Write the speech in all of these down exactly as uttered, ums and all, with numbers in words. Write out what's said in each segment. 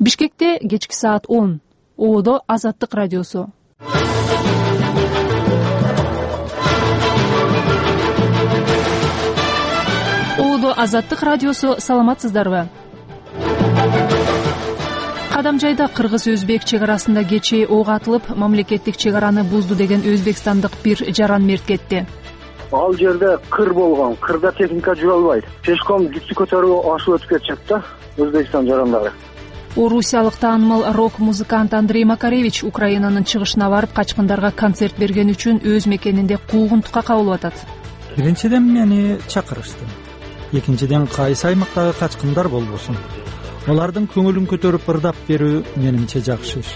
Бишкекте кечки саат он. Оодо Азаттык радиосу. Оодо Азаттык радиосу, саламатсыздарбы? Кадамжайда кыргыз-өзбек чек арасында кечээ ок атылып, мамлекеттик чек араны бузду деген өзбекстандык бир жаран мерт кетти. Ал жерде кыр болгон, кырда техника жүрө албайт. Пешком жүктү көтөрүп ашып өтүп кетишет да Өзбекстан жарандары. Орусиялык таанымал рок-музыкант Андрей Макаревич Украинанын чыгышына барып качкындарга концерт берген үчүн өз мекенинде куугунтукка кабылып атат. Биринчиден мени чакырышты. Экинчиден кайсы аймактагы качкындар болбосун. Алардын көңүлүн көтөрүп ырдап берүү менимче жакшы иш.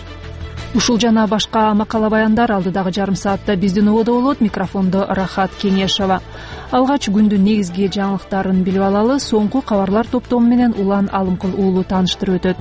Ушул жана башка макала баяндар алдыдагы жарым саатта биздин ободо болот. Микрофондо Рахат Кенешова. Алгач күндүн негизги жаңылыктарын билип алалы. Соңку кабарлар топтому менен Улан Алымкул уулу тааныштырып өтөт.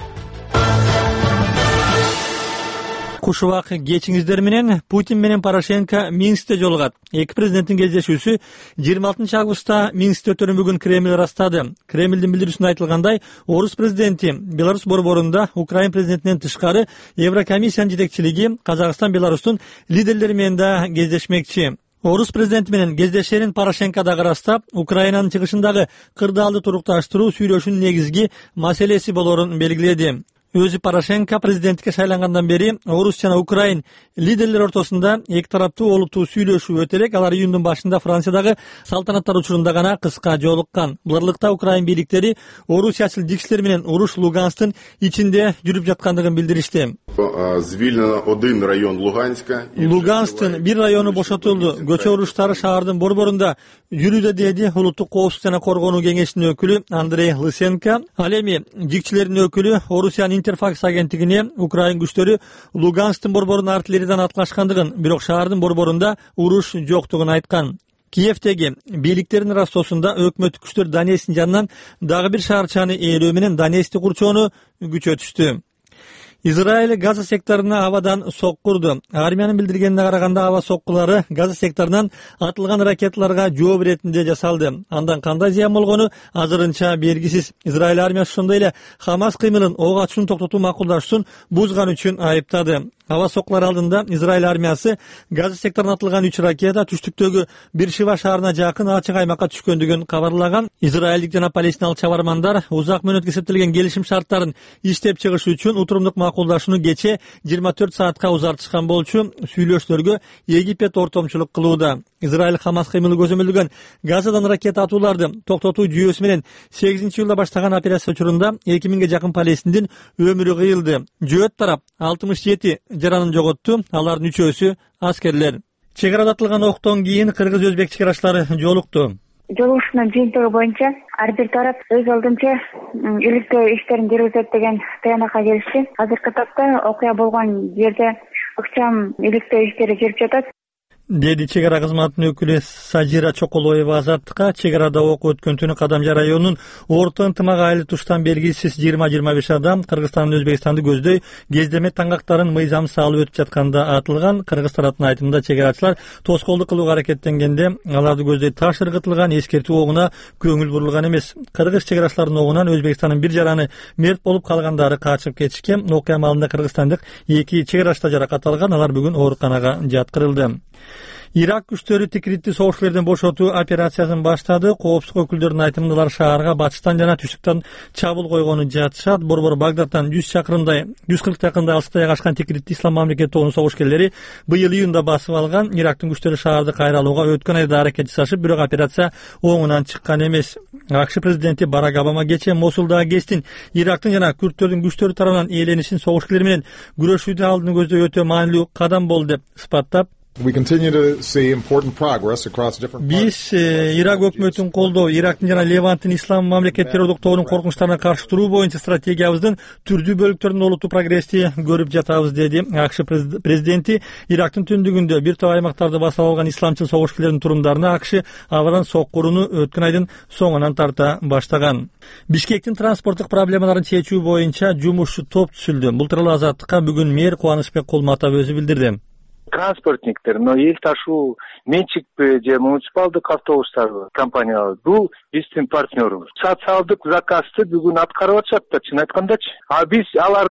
Куш убак кечиңиздер менен. Путин менен Порошенко Минскте жолугат. Эки президенттин кездешүүсү жыйырма алтынчы августта Минскте өтөрүн бүгүн Кремль ырастады. Кремлдин билдирүүсүндө айтылгандай, Орус президенти Беларусь борборунда Украин президентинен тышкары Еврокомиссиянын жетекчилиги Казакстан, Беларустун лидерлери менен да кездешмекчи. Орус президенти менен кездешерин Порошенко дагы ырастап, Украинанын чыгышындагы кырдаалды турукташтыруу сүйлөшүүнүн негизги маселеси болорун белгиледи. Өзү Порошенко президенттикке шайлангандан бери Орус жана Украин лидерлери ортосунда эки тараптуу олуттуу сүйлөшүү өтө элек. Алар июндун башында Франциядагы салтанаттар учурунда гана кыска жолуккан. Буларлыкта Украин бийликтери орусиячыл дикшилер менен уруш Луганстын ичинде жүрүп жаткандыгын билдиришти. Луганстын бир району бошотулду. Көчө уруштары шаардын борборунда жүрүүдө, деди улуттук коопсуздук жана коргонуу кеңешинин өкүлү Андрей Лысенко. Ал эми дикчилердин өкүлү Орусиянын Интерфакс агенттигине Украин күчтөрү Луганстын борборунун артиллериядан аткылашкандыгын, бирок шаардын борборунда уруш жоктугун айткан. Киевдеги бийликтердин ырастоосунда өкмөттүк күчтөр Донецктин жанынан дагы бир шаарчаны ээлөө менен Донецкти курчоону күчөтүштү. Израиль Газа секторуна абадан соккурду. Армиянын билдиргенине караганда, аба соккулары Газа секторунан атылган ракеталарга жооп иретинде жасалды. Андан кандай зыян болгону азырынча белгисиз. Израиль армиясы ошондой эле Хамас кыймылын ок атышууну токтотуу макулдашуусун бузган үчүн айыптады. Аба соккулар алдында Израиль армиясы Газа секторуна атылган үч ракета түштүктөгү Биршива шаарына жакын ачык аймакка түшкөндүгүн кабарлаган. Израилдик жана палестиналык чабармандар узак мөөнөткө эсептелген келишим шарттарын иштеп чыгыш үчүн утурумдук макулдашууну кече жыйырма төрт саатка узартышкан болчу. Сүйлөшүүлөргө Египет ортомчулук кылууда. Израиль Хамас кыймылы көзөмөлдөгөн Газадан ракета атууларды токтотуу жүйөсү менен сегизинчи июлда баштаган операция учурунда эки миңге жакын палестиндин өмүрү кыйылды. Жөөт тарап алтымыш жети жаранын жоготту. Алардын үчөөсү аскерлер. Чек арада атылган октон кийин кыргыз-өзбек чек арачылары жолукту. Жолугушуунун жыйынтыгы боюнча ар бир тарап өз алдынча иликтөө иштерин жүргүзөт деген таянакка келишти. Азыркы тапта окуя болгон жерде ыкчам иликтөө иштери жүрүп жатат, деди чек ара кызматынын өкүлү Сажира Чоколоева Азаттыкка. Чек арада ок өткөн түнү Кадамжай районунун Орто ынтымак айыл туштан белгисиз жыйырма жыйырма беш адам Кыргызстандын Өзбекстанды көздөй кездеме таңгактарын мыйзам салып өтүп жатканда атылган. Кыргыз тараптын айтымында чек арачылар тоскоолдук кылууга аракеттенгенде аларды көздөй таш ыргытылган, эскертүү огуна көңүл бурулган эмес. Кыргыз чек арачыларынын огунан Өзбекстандын бир жараны мерт болуп калгандары качып кетишкен. Окуя маалында кыргызстандык эки чек арачта жаракат алган. Алар бүгүн ооруканага жаткырылды. Ирак күчтөрү Тикритти согушкерлерден бошотуу операциясын баштады. Коопсуздук өкүлдөрүнүн айтымында алар шаарга батыштан жана түштүктөн чабуул койгону жатышат. Борбор Багдадтан жүз чакырымдай, жүз кырк чакырымдай алыста жайгашкан Тикритти ислам мамлекети тобунун согушкерлери быйыл июнда басып алган. Ирактын күчтөрү шаарды кайра алууга өткөн айда аракет жасашып, бирок операция оңунан чыккан эмес. АКШ президенти Барак Обама кечээ Мосулдагы КЕСтин Ирактын жана күрттөрдүн күчтөрү тарабынан ээленишин, согушкерлер менен күрөшүүдө алдын көздөй өтө маанилүү кадам болду деп сыпаттап, биз Ирак өкмөтүн колдоо, Ирактын жана Леванттын ислам мамлекет террордук тобунун коркунучтарына каршы туруу боюнча стратегиябыздын түрдүү бөлүктөрүндө олуттуу прогрессти көрүп жатабыз, деди АКШ президенти. Ирактын түндүгүндө бир топ аймактарды басып алган исламчыл согушкерлердин турумдарына АКШ абдан соккурууну өткөн айдын соңунан тарта баштаган. Бишкектин транспорттук проблемаларын чечүү боюнча жумушчу топ түзүлдү. Бул тууралуу Азаттыкка бүгүн мэр Кубанычбек Кулматов өзү билдирди. Транспортниктер, но эл ташуу менчикпи же муниципалдык автобустар компаниялар бул биздин партнерубуз. Социалдык заказды бүгүн аткарып атышат да, чын айткандачы. А биз алар